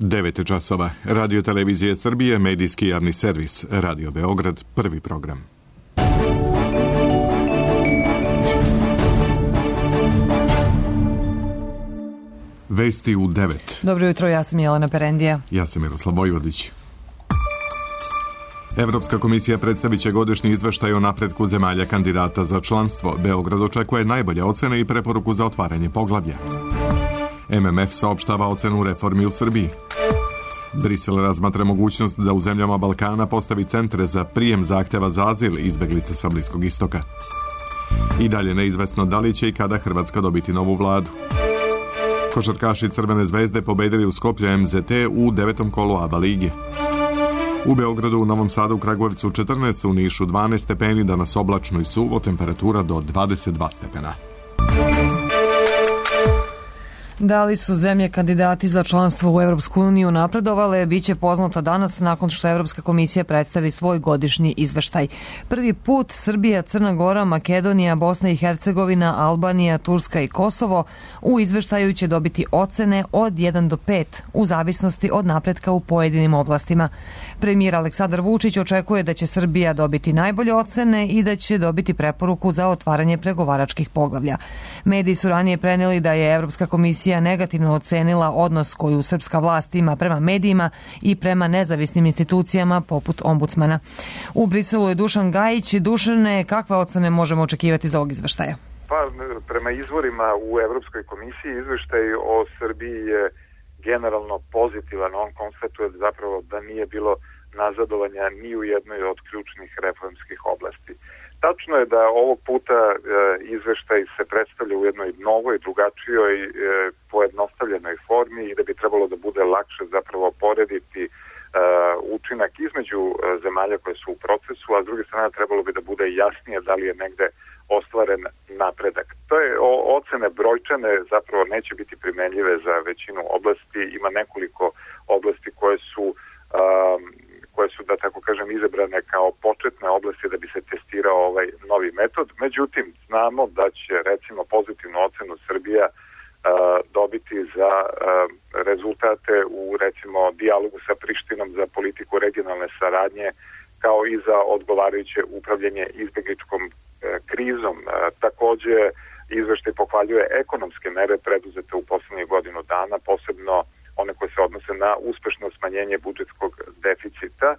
9 časova. Radio Televizije Srbije, medijski javni servis. Radio Beograd, prvi program. Vesti u 9. Dobro jutro, ja sam Jelena Perendija. Ja sam Miroslav Vojvodić. Evropska komisija predstavit će godišnji izveštaj o napretku zemalja kandidata za članstvo. Beograd očekuje najbolje ocene i preporuku za otvaranje poglavlja. MMF saopštava ocenu reformi u Srbiji. Brisel razmatra mogućnost da u zemljama Balkana postavi centre za prijem zahteva za azil izbeglice sa Bliskog istoka. I dalje neizvesno da li će i kada Hrvatska dobiti novu vladu. Košarkaši Crvene zvezde pobedili u Skoplju MZT u 9. kolu ABA ligi. U Beogradu, u Novom Sadu, u Kragujevcu 14, u Nišu 12 stepeni, danas oblačno i suvo, temperatura do 22 stepena. Da li su zemlje kandidati za članstvo u Evropsku uniju napredovale, bit će poznato danas nakon što Evropska komisija predstavi svoj godišnji izveštaj. Prvi put Srbija, Crna Gora, Makedonija, Bosna i Hercegovina, Albanija, Turska i Kosovo u izveštaju će dobiti ocene od 1 do 5 u zavisnosti od napretka u pojedinim oblastima. Premijer Aleksandar Vučić očekuje da će Srbija dobiti najbolje ocene i da će dobiti preporuku za otvaranje pregovaračkih poglavlja. Mediji su ranije preneli da je Evropska komisija negativno ocenila odnos koju srpska vlast ima prema medijima i prema nezavisnim institucijama poput ombudsmana. U Briselu je Dušan Gajić. Dušane, kakve ocene možemo očekivati za ovog izveštaja? Pa, prema izvorima u Evropskoj komisiji izveštaj o Srbiji je generalno pozitivan. On konstatuje zapravo da nije bilo nazadovanja ni u jednoj od ključnih reformskih oblasti. Tačno je da ovog puta izveštaj se predstavlja u jednoj novoj, drugačijoj, pojednostavljenoj formi i da bi trebalo da bude lakše zapravo porediti učinak između zemalja koje su u procesu, a s druge strane trebalo bi da bude jasnije da li je negde ostvaren napredak. To je ocene brojčane zapravo neće biti primenljive za većinu oblasti. Ima nekoliko oblasti koje su da tako kažem izabrane kao početne oblasti da bi se testirao ovaj novi metod. Međutim, znamo da će recimo pozitivnu ocenu Srbija dobiti za rezultate u recimo dijalogu sa Prištinom za politiku regionalne saradnje kao i za odgovarajuće upravljanje izbegličkom krizom. Takođe, izveštaj pohvaljuje ekonomske mere preduzete u poslednjih godinu dana, posebno one koje se odnose na uspešno smanjenje budžetskog deficita.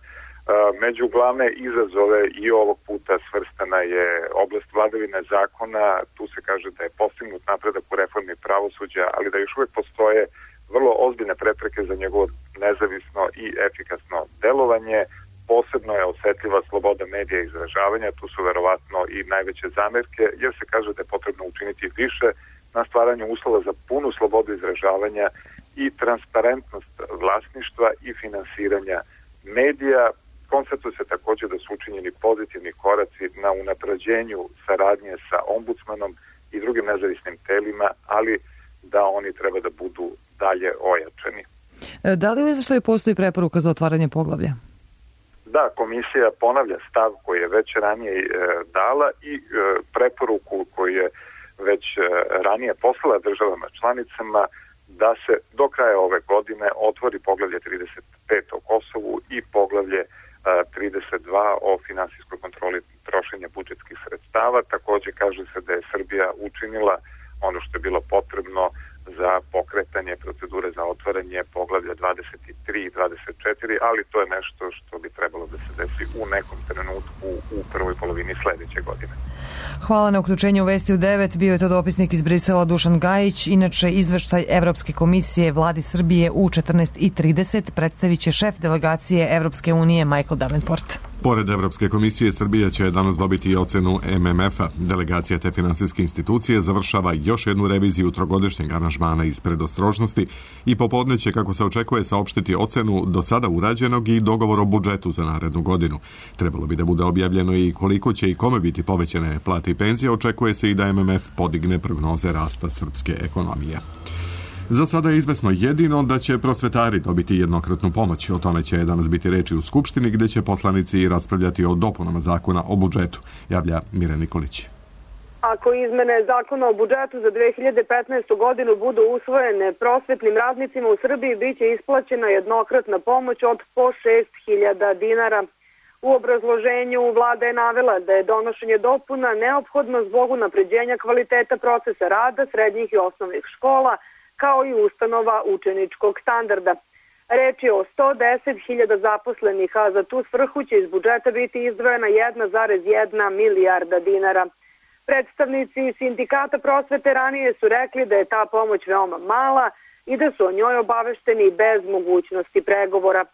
Među glavne izazove i ovog puta svrstana je oblast vladavine zakona. Tu se kaže da je postignut napredak u reformi pravosuđa, ali da još uvek postoje vrlo ozbiljne prepreke za njegovo nezavisno i efikasno delovanje. Posebno je osetljiva sloboda medija i izražavanja. Tu su verovatno i najveće zamerke, jer se kaže da je potrebno učiniti više na stvaranju uslova za punu slobodu izražavanja i transparentnost vlasništva i finansiranja medija. Konstatuje se također da su učinjeni pozitivni koraci na unapređenju saradnje sa ombudsmanom i drugim nezavisnim telima, ali da oni treba da budu dalje ojačani. Da li u izveštaju postoji preporuka za otvaranje poglavlja? Da, komisija ponavlja stav koji je već ranije dala i preporuku koju je već ranije poslala državama članicama da se do kraja ove godine otvori poglavlje 35 o Kosovu i poglavlje 32 o finansijskoj kontroli trošenja budžetskih sredstava. Takođe kaže se da je Srbija učinila ono što je bilo potrebno za pokretanje procedure za otvaranje poglavlja 23 i 24, ali to je nešto što bi trebalo da se desi u nekom trenutku u prvoj polovini sledeće godine. Hvala na uključenju u Vesti u 9. Bio je to dopisnik iz Brisela Dušan Gajić. Inače, izveštaj Evropske komisije vladi Srbije u 14:30 predstavit će šef delegacije Evropske unije Michael Davenport. Pored Evropske komisije, Srbija će danas dobiti i ocenu MMF-a. Delegacija te finansijske institucije završava još jednu reviziju trogodišnjeg aranžmana iz predostrožnosti i popodne će, kako se očekuje, saopštiti ocenu do sada urađenog i dogovor o budžetu za narednu godinu. Trebalo bi da bude objavljeno i koliko će i kome biti povećane plate i penzije. Očekuje se i da MMF podigne prognoze rasta srpske ekonomije. Za sada je izvesno jedino da će prosvetari dobiti jednokratnu pomoć. O tome će danas biti reči u Skupštini, gde će poslanici raspravljati o dopunama zakona o budžetu, javlja Mira Nikolić. Ako izmene zakona o budžetu za 2015. godinu budu usvojene, prosvetnim radnicima u Srbiji biće isplaćena jednokratna pomoć od po 6.000 dinara. U obrazloženju vlada je navela da je donošenje dopuna neophodno zbog unapređenja kvaliteta procesa rada srednjih i osnovnih škola, kao i ustanova učeničkog standarda. Reč je o 110.000 zaposlenih, a za tu svrhu će iz budžeta biti izdvojena 1,1 milijarda dinara. Predstavnici sindikata prosvete ranije su rekli da je ta pomoć veoma mala i da su o njoj obavešteni bez mogućnosti pregovora.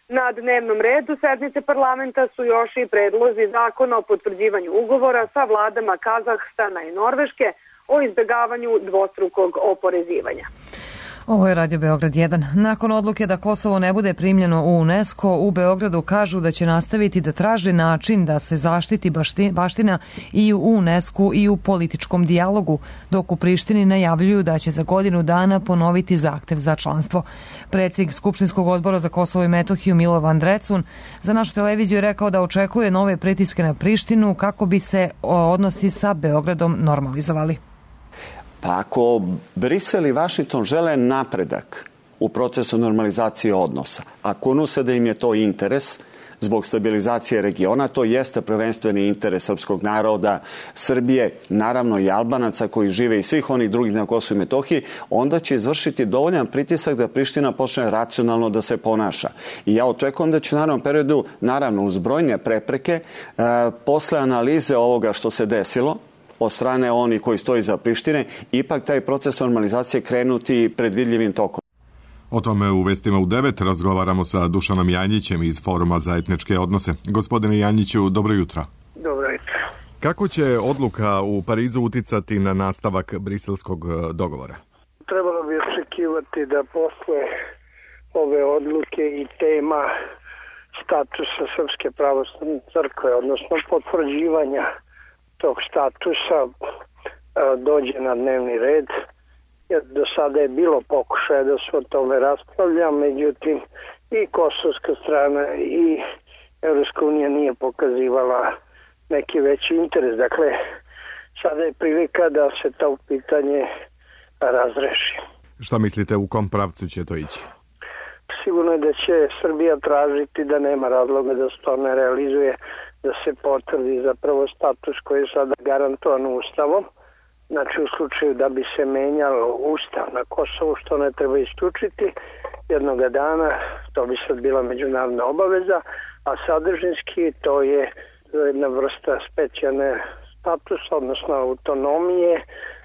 Na dnevnom redu sednice parlamenta su još i predlozi zakona o potvrđivanju ugovora sa vladama Kazahstana i Norveške o izbegavanju dvostrukog oporezivanja. Ovo je Radio Beograd 1. Nakon odluke da Kosovo ne bude primljeno u UNESCO, u Beogradu kažu da će nastaviti da traže način da se zaštiti baština i u UNESCO i u političkom dijalogu, dok u Prištini najavljuju da će za godinu dana ponoviti zahtev za članstvo. Predsjednik Skupštinskog odbora za Kosovo i Metohiju Milovan Drecun za našu televiziju je rekao da očekuje nove pritiske na Prištinu kako bi se odnosi sa Beogradom normalizovali. Pa ako Brisel i Vašington žele napredak u procesu normalizacije odnosa, ako unose da im je to interes zbog stabilizacije regiona, to jeste prvenstveni interes srpskog naroda, Srbije, naravno i Albanaca koji žive i svih onih drugih na Kosovu i Metohiji, onda će izvršiti dovoljan pritisak da Priština počne racionalno da se ponaša. I ja očekujem da će u narednom periodu, naravno uz brojne prepreke, posle analize ovoga što se desilo, od strane oni koji stoji za Prištine, ipak taj proces normalizacije krenuti predvidljivim tokom. O tome u Vestima u 9 razgovaramo sa Dušanom Janjićem iz Foruma za etničke odnose. Gospodine Janjiću, dobro jutro. Dobro jutro. Kako će odluka u Parizu uticati na nastavak briselskog dogovora? Trebalo bi očekivati da posle ove odluke i tema statusa Srpske pravoslavne crkve, odnosno potvrđivanja tog statusa, dođe na dnevni red, jer do sada je bilo pokušaja da se o tome raspravlja, međutim i kosovska strana i Evropska unija nije pokazivala neki veći interes. Dakle, sada je prilika da se to pitanje razreši. Šta mislite, u kom pravcu će to ići? Sigurno je da će Srbija tražiti da nema razloga da se to ne realizuje, da se potvrdi zapravo status koji je sada garantovan Ustavom. Znači u slučaju da bi se menjalo Ustav na Kosovu, što ne treba isključiti jednoga dana, to bi sad bila međunarodna obaveza, a sadržinski to je jedna vrsta specijalne statusa, odnosno autonomije,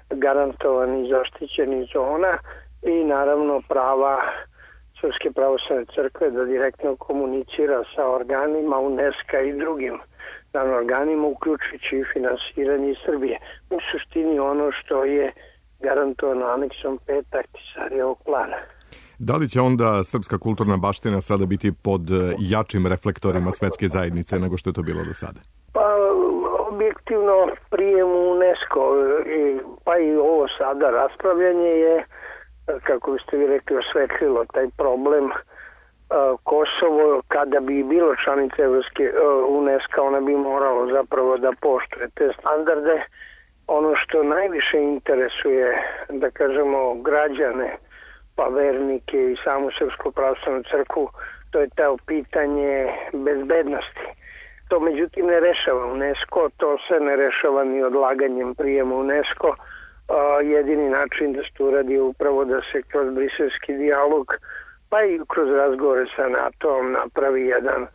garantovani i zaštićeni zona i naravno prava Srpske pravoslavne crkve da direktno komunicira sa organima UNESCO i drugim organima, uključujući i finansiranje iz Srbije. U suštini ono što je garantovano aneksom 5 Ahtisarijevog plana. Da li će onda srpska kulturna baština sada biti pod jačim reflektorima svetske zajednice nego što je to bilo do sada? Pa objektivno prijem u UNESCO, pa i ovo sada raspravljanje je, kako biste vi rekli, osvetlilo taj problem. Kosovo, kada bi bilo članica UNESCO, ona bi moralo zapravo da poštuje te standarde. Ono što najviše interesuje, da kažemo, građane, pa vernike i samu Srpsku pravoslavnu crkvu, to je to pitanje bezbednosti. To međutim ne rešava UNESCO, to se ne rešava ni odlaganjem prijema UNESCO. Jedini način da se to uradi je upravo da se kroz briselski dijalog, pa i kroz razgovore sa NATO-om napravi jedan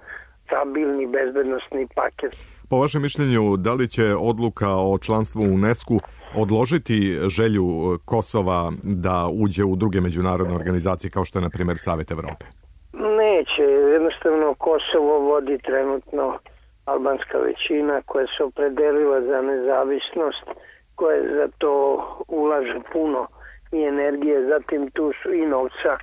stabilni bezbednostni paket. Po vašem mišljenju, da li će odluka o članstvu u UNESCO odložiti želju Kosova da uđe u druge međunarodne organizacije kao što je, na primjer, Savet Evrope? Neće. Jednostavno Kosovo vodi trenutno albanska većina koja se opredelila za nezavisnost, koja za to ulaže puno i energije, zatim tu su i novca,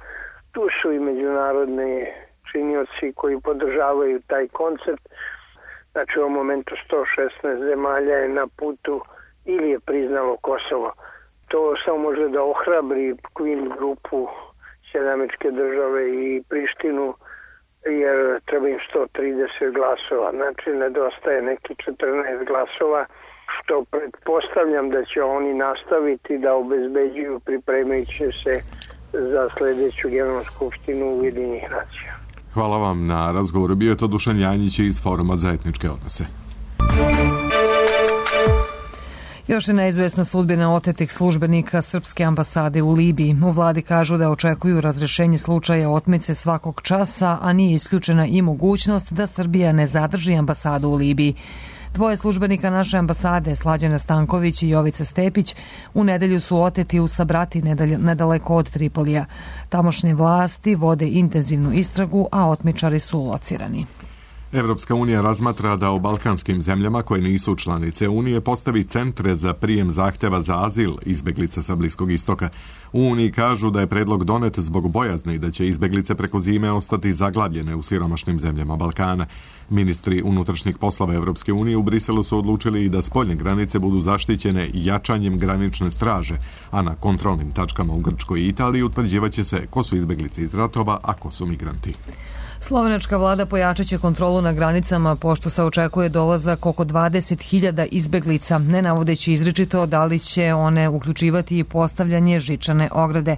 tu su i međunarodni činioci koji podržavaju taj koncept. Znači u ovom momentu 116 zemalja je na putu ili je priznalo Kosovo. To samo može da ohrabri Queen grupu, Sjedinjene Američke Države i Prištinu, jer treba im 130 glasova. Znači nedostaje neki 14 glasova što pretpostavljam da će oni nastaviti da obezbeđuju pripremajući se za sledeću Generalnu skupštinu Ujedinjenih nacija. Hvala vam na razgovoru. Bio je to Dušan Janjić iz Foruma za etničke odnose. Još je neizvesna sudbina otetih službenika Srpske ambasade u Libiji. U vladi kažu da očekuju razrešenje slučaja otmice svakog časa, a nije isključena i mogućnost da Srbija ne zadrži ambasadu u Libiji. Dvoje službenika naše ambasade, Slađana Stanković i Jovica Stepić, u nedelju su oteti u Sabrati nedaleko od Tripolija. Tamošnje vlasti vode intenzivnu istragu, a otmičari su locirani. Evropska unija razmatra da u balkanskim zemljama koje nisu članice Unije postavi centre za prijem zahteva za azil izbeglica sa Bliskog istoka. U Uniji kažu da je predlog donet zbog bojazni da će izbeglice preko zime ostati zaglavljene u siromašnim zemljama Balkana. Ministri unutrašnjih poslova Evropske unije u Briselu su odlučili i da spoljne granice budu zaštićene jačanjem granične straže, a na kontrolnim tačkama u Grčkoj i Italiji utvrđivaće se ko su izbeglice iz ratova, a ko su migranti. Slovenačka vlada pojačat će kontrolu na granicama pošto se očekuje dolazak oko 20.000 izbeglica, ne navodeći izričito da li će one uključivati i postavljanje žičane ograde.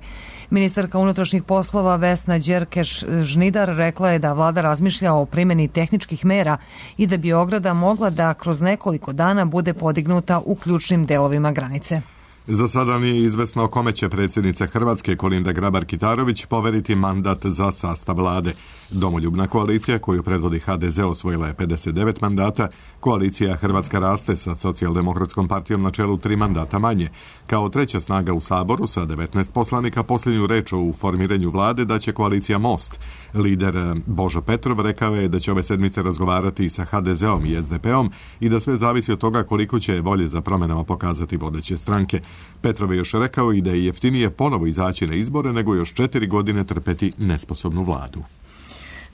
Ministarka unutrašnjih poslova Vesna Đerkeš-Žnidar rekla je da vlada razmišlja o primjeni tehničkih mera i da bi ograda mogla da kroz nekoliko dana bude podignuta u ključnim delovima granice. Za sada nije izvesno kome će predsjednica Hrvatske Kolinda Grabar-Kitarović poveriti mandat za sastav vlade. Domoljubna koalicija koju predvodi HDZ osvojila je 59 mandata, koalicija Hrvatska raste sa Socijaldemokratskom partijom na čelu 3 mandata manje. Kao treća snaga u Saboru sa 19 poslanika posljednju reč u formiranju vlade daće koalicija Most. Lider Božo Petrov rekao je da će ove sedmice razgovarati sa HDZ-om i SDP-om i da sve zavisi od toga koliko će volje za promjenama pokazati vodeće stranke. Petrov je još rekao i da je jeftinije ponovo izaći na izbore nego još 4 godine trpeti nesposobnu vladu.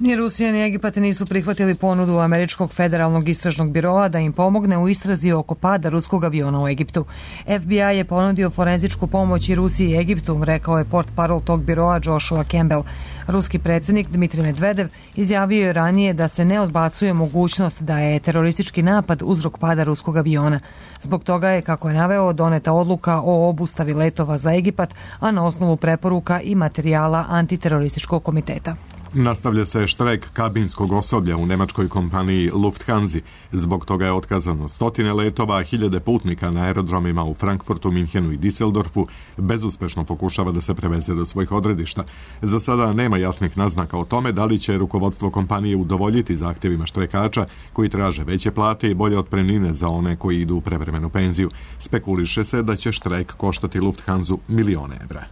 Ni Rusija ni Egipat nisu prihvatili ponudu Američkog federalnog istražnog biroa da im pomogne u istrazi oko pada ruskog aviona u Egiptu. FBI je ponudio forenzičku pomoć i Rusiji i Egiptu, rekao je portparol tog biroa Joshua Campbell. Ruski predsjednik Dmitrij Medvedev izjavio je ranije da se ne odbacuje mogućnost da je teroristički napad uzrok pada ruskog aviona. Zbog toga je, kako je naveo, doneta odluka o obustavi letova za Egipat, a na osnovu preporuka i materijala antiterorističkog komiteta. Nastavlja se štrajk kabinskog osoblja u nemačkoj kompaniji Lufthansa. Zbog toga je otkazano 100 letova, a 1000 putnika na aerodromima u Frankfurtu, Minhenu i Düsseldorfu bezuspešno pokušava da se preveze do svojih odredišta. Za sada nema jasnih naznaka o tome da li će rukovodstvo kompanije udovoljiti zahtjevima štrajkača koji traže veće plate i bolje otpremnine za one koji idu u prevremenu penziju. Spekuliše se da će štrajk koštati Lufthansa milione evra.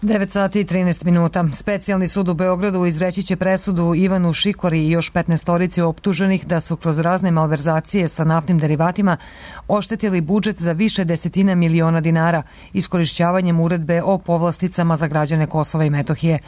9 sati i 13 minuta. Specijalni sud u Beogradu izreći će presudu Ivanu Šikori i još 15 optuženih da su kroz razne malverzacije sa naftnim derivatima oštetili budžet za više desetina miliona dinara iskorišćavanjem uredbe o povlasticama za građane Kosova i Metohije.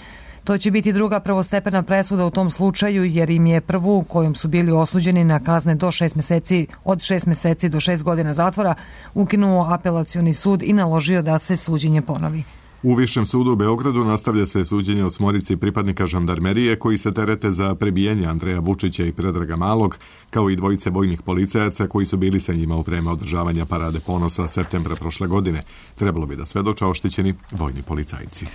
To će biti druga prvostepena presuda u tom slučaju jer im je prvu kojom su bili osuđeni na kazne do 6 meseci, od 6 meseci do 6 godina zatvora, ukinuo apelacioni sud i naložio da se suđenje ponovi. U Višem sudu u Beogradu nastavlja se suđenje o 8 pripadnika žandarmerije koji se terete za prebijanje Andreja Vučića i Predraga Malog, kao i 2 vojnih policajaca koji su bili sa njima u vreme održavanja Parade ponosa septembra prošle godine. Trebalo bi da svedoče oštećeni vojni policajci.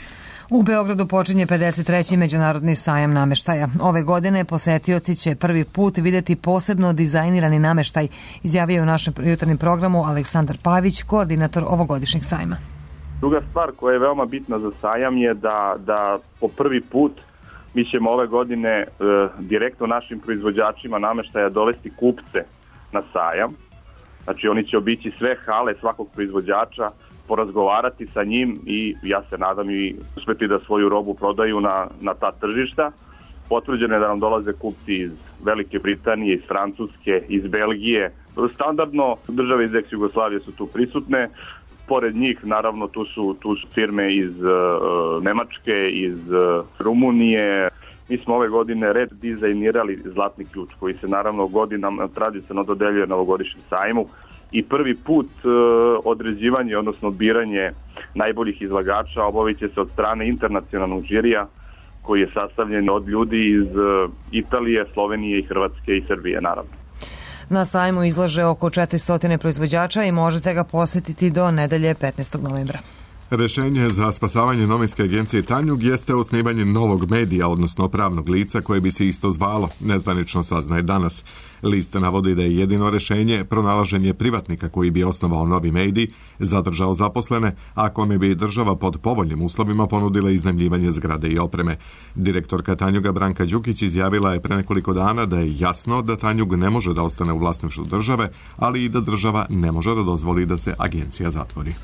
U Beogradu počinje 53. međunarodni sajam nameštaja. Ove godine posetioci će prvi put vidjeti posebno dizajnirani nameštaj, izjavio je u našem jutarnjem programu Aleksandar Pavić, koordinator ovogodišnjeg sajma. Druga stvar koja je veoma bitna za sajam je da po prvi put mi ćemo ove godine direktno našim proizvođačima nameštaja dovesti kupce na sajam. Znači oni će obići sve hale svakog proizvođača, porazgovarati sa njim i ja se nadam i uspeti da svoju robu prodaju na ta tržišta. Potvrđeno je da nam dolaze kupci iz Velike Britanije, iz Francuske, iz Belgije. Standardno države iz ex-Jugoslavije su tu prisutne. Pored njih, naravno, tu su firme iz Nemačke, iz Rumunije. Mi smo ove godine redizajnirali Zlatni ključ, koji se naravno godinama tradicionalno dodeljuje na ovogodišnjem sajmu. I prvi put određivanje, odnosno biranje najboljih izlagača obavit će se od strane internacionalnog žirija, koji je sastavljen od ljudi iz Italije, Slovenije i Hrvatske i Srbije, naravno. Na sajmu izlaže oko 400 proizvođača i možete ga posjetiti do nedelje 15. novembra. Rešenje za spasavanje novinske agencije Tanjug jeste osnivanje novog medija, odnosno pravnog lica koje bi se isto zvalo, nezvanično saznaje danas. List navodi da je jedino rešenje pronalaženje privatnika koji bi osnovao novi medij, zadržao zaposlene, a kome bi država pod povoljnim uslovima ponudila iznajmljivanje zgrade i opreme. Direktorka Tanjuga Branka Đukić izjavila je pre nekoliko dana da je jasno da Tanjug ne može da ostane u vlasništvu države, ali i da država ne može da dozvoli da se agencija zatvori.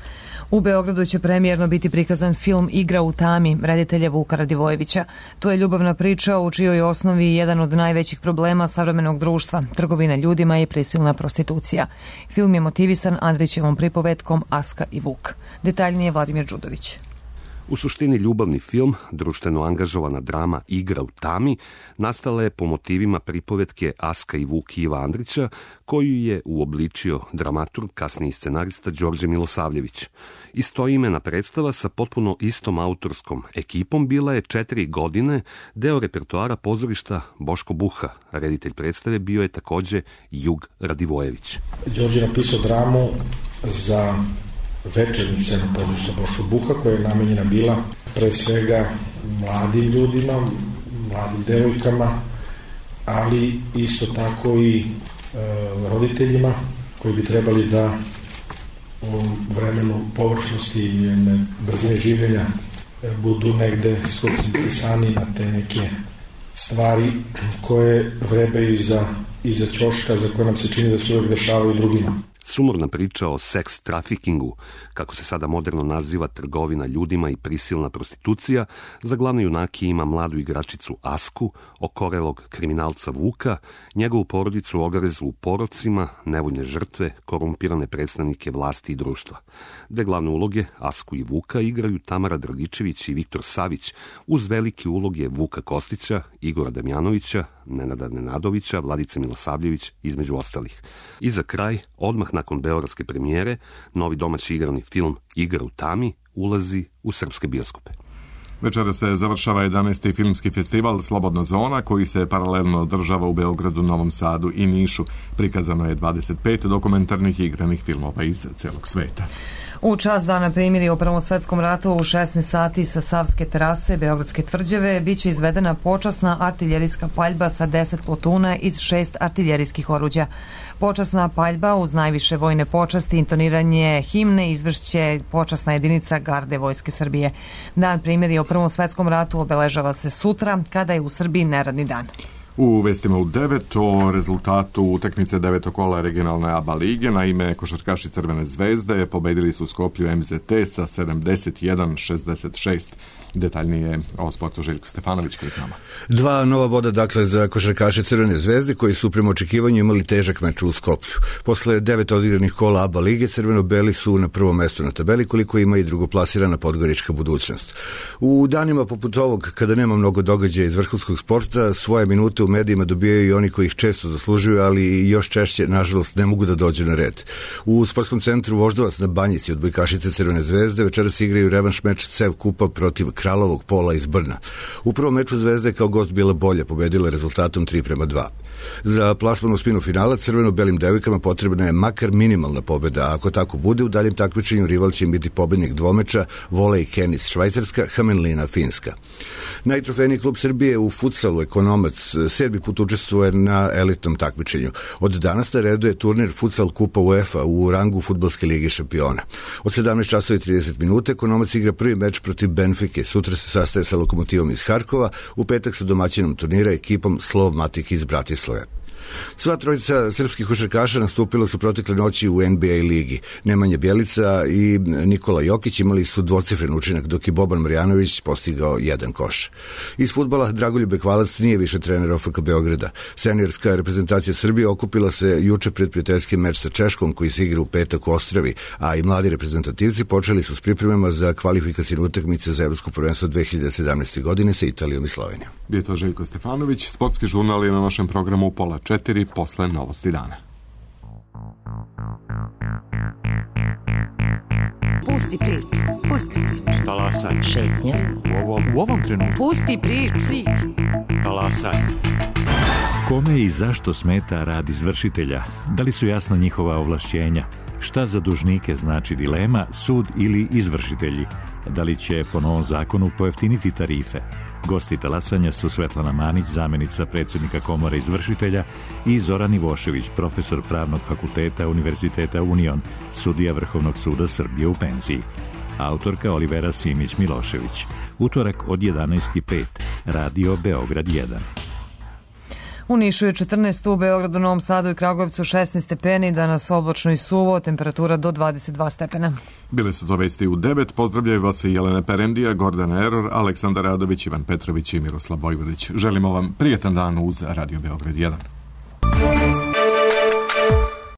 U Beogradu će premijerno biti prikazan film Igra u tami reditelja Vuka Radivojevića. To je ljubavna priča u čijoj osnovi jedan od najvećih problema savremenog društva, trgovina ljudima i prisilna prostitucija. Film je motivisan Andrićevom pripovetkom Aska i Vuk. Detaljnije Vladimir Đudović. U suštini ljubavni film, društveno angažovana drama Igra u tami, nastala je po motivima pripovetke Aska i Vuk Iva Andrića, koju je uobličio dramaturg, kasniji scenarista Đorđe Milosavljević. Istoimena predstava sa potpuno istom autorskom ekipom bila je 4 godine deo repertoara pozorišta Boško Buha. Reditelj predstave bio je takođe Jug Radivojević. Đorđe je napisao dramu za večernju scenu pozorišta Boško Buha, koja je namenjena bila pre svega mladim ljudima, mladim devojkama, ali isto tako i roditeljima koji bi trebali da u vremenu površnosti i jedne brzine življenja budu negde skoncentrisani na te neke stvari koje vrebaju iza ćoška, za koje nam se čini da se uvek dešavaju drugima. Sumorna priča o seks trafikingu, kako se sada moderno naziva trgovina ljudima i prisilna prostitucija, za glavne junake ima mladu igračicu Asku, okorelog kriminalca Vuka, njegovu porodicu ogrezu u porocima, nevoljne žrtve, korumpirane predstavnike vlasti i društva. Dve glavne uloge, Asku i Vuka, igraju Tamara Dragičević i Viktor Savić, uz velike uloge Vuka Kostića, Igora Damjanovića, Nenada Nenadovića, Vladice Milosavljević, između ostalih. I za kraj, odmah nakon beogradske premijere, novi domaći igrani film Igra u tami ulazi u srpske bioskope. Večera se završava 11. filmski festival Slobodna zona, koji se paralelno održava u Beogradu, Novom Sadu i Nišu. Prikazano je 25 dokumentarnih igranih filmova iz celog sveta. U čast dana primirja u Prvom svetskom ratu u 16 sati sa Savske terase Beogradske tvrđave biće izvedena počasna artiljerijska paljba sa 10 plotuna iz 6 artiljerijskih oruđa. Počasna paljba uz najviše vojne počasti, intoniranje himne izvršće počasna jedinica Garde Vojske Srbije. Dan primirja u Prvom svetskom ratu obeležava se sutra, kada je u Srbiji neradni dan. U vestima u 9 o rezultatu utakmice 9. kola regionalne ABA lige, naime košarkaši Crvene zvezde pobedili su u Skoplju MZT sa 71-66. Detaljnije o sportu Željko Stefanović koji je s nama. 2 nova boda dakle za košarkaše Crvene zvezde koji su prema očekivanju imali težak meč u Skoplju. Posle 9 odigranih kola ABA lige crveno-beli su na prvom mestu na tabeli, koliko ima i drugoplasirana Podgorička budućnost. U danima poput ovog, kada nema mnogo događaja iz vrhunskog sporta, svoje minute u medijima dobijaju i oni koji ih često zaslužuju, ali još češće, nažalost, ne mogu da dođu na red. U sportskom centru Voždovac na Banjici odbojkašice Crvene zvezde večeras igraju revanš meč CEV kupa protiv Kralovog Pola iz Brna. U prvom meču Zvezda je kao gost bila bolja, pobedila rezultatom 3:2. Za plasman u spinu finala crveno-belim devojkama potrebna je makar minimalna pobeda, a ako tako bude, u daljem takmičenju rival će biti pobednik dvomeča volej Kenis Švajcarska, Hamenlina Finska. Najtrofejniji klub Srbije u futsalu Ekonomac 7. put učestvuje na elitnom takmičenju. Od danas na redu je turnir Futsal Kupa UEFA u rangu Fudbalske lige šampiona. Od 17:30 Ekonomac igra prvi meč protiv Benfike, sutra se sastaje sa Lokomotivom iz Harkova, u petak sa domaćinom turnira ekipom Slov Matik iz Bratislave. Sva trojica srpskih košarkaša nastupila su protekle noći u NBA ligi. Nemanja Bjelica i Nikola Jokić imali su dvocifren učinak, dok je Boban Marjanović postigao 1 koš. Iz fudbala Dragoljub Bekvalac nije više trener OFK Beograda. Seniorska reprezentacija Srbije okupila se juče pred prijateljski meč sa Češkom koji se igra u petak u Ostravi, a i mladi reprezentativci počeli su s pripremama za kvalifikacijne utakmice za Evropsko prvenstvo 2017. godine sa Italijom i Slovenijom. Bio je to Željko Stefanović. Sportski žurnal je na našem programu u 3:30 posle novosti dana. Pusti priču. Pusti priču. Talasaj. Šetnja. U ovom trenutku. Pusti priču. Talasaj. Kome i zašto smeta rad izvršitelja? Da li su jasna njihova ovlašćenja? Šta za dužnike znači dilema, sud ili izvršitelji? Da li će po novom zakonu pojeftiniti tarife? Gosti talasanja su Svetlana Manić, zamenica predsjednika Komore izvršitelja, i Zoran Ivošević, profesor Pravnog fakulteta Univerziteta Union, sudija Vrhovnog suda Srbije u penziji. Autorka Olivera Simić-Milošević. Utorak od 11:05. Radio Beograd 1. U Nišu je 14, u Beogradu, Novom Sadu i Kragujevcu 16 stepeni, danas oblačno i suvo, temperatura do 22 stepena. Bile su to vesti u 9, pozdravljaju vas i Jelena Perendija, Gordana Eror, Aleksandar Radović, Ivan Petrović i Miroslav Vojvodić. Želimo vam prijetan dan uz Radio Beograd 1.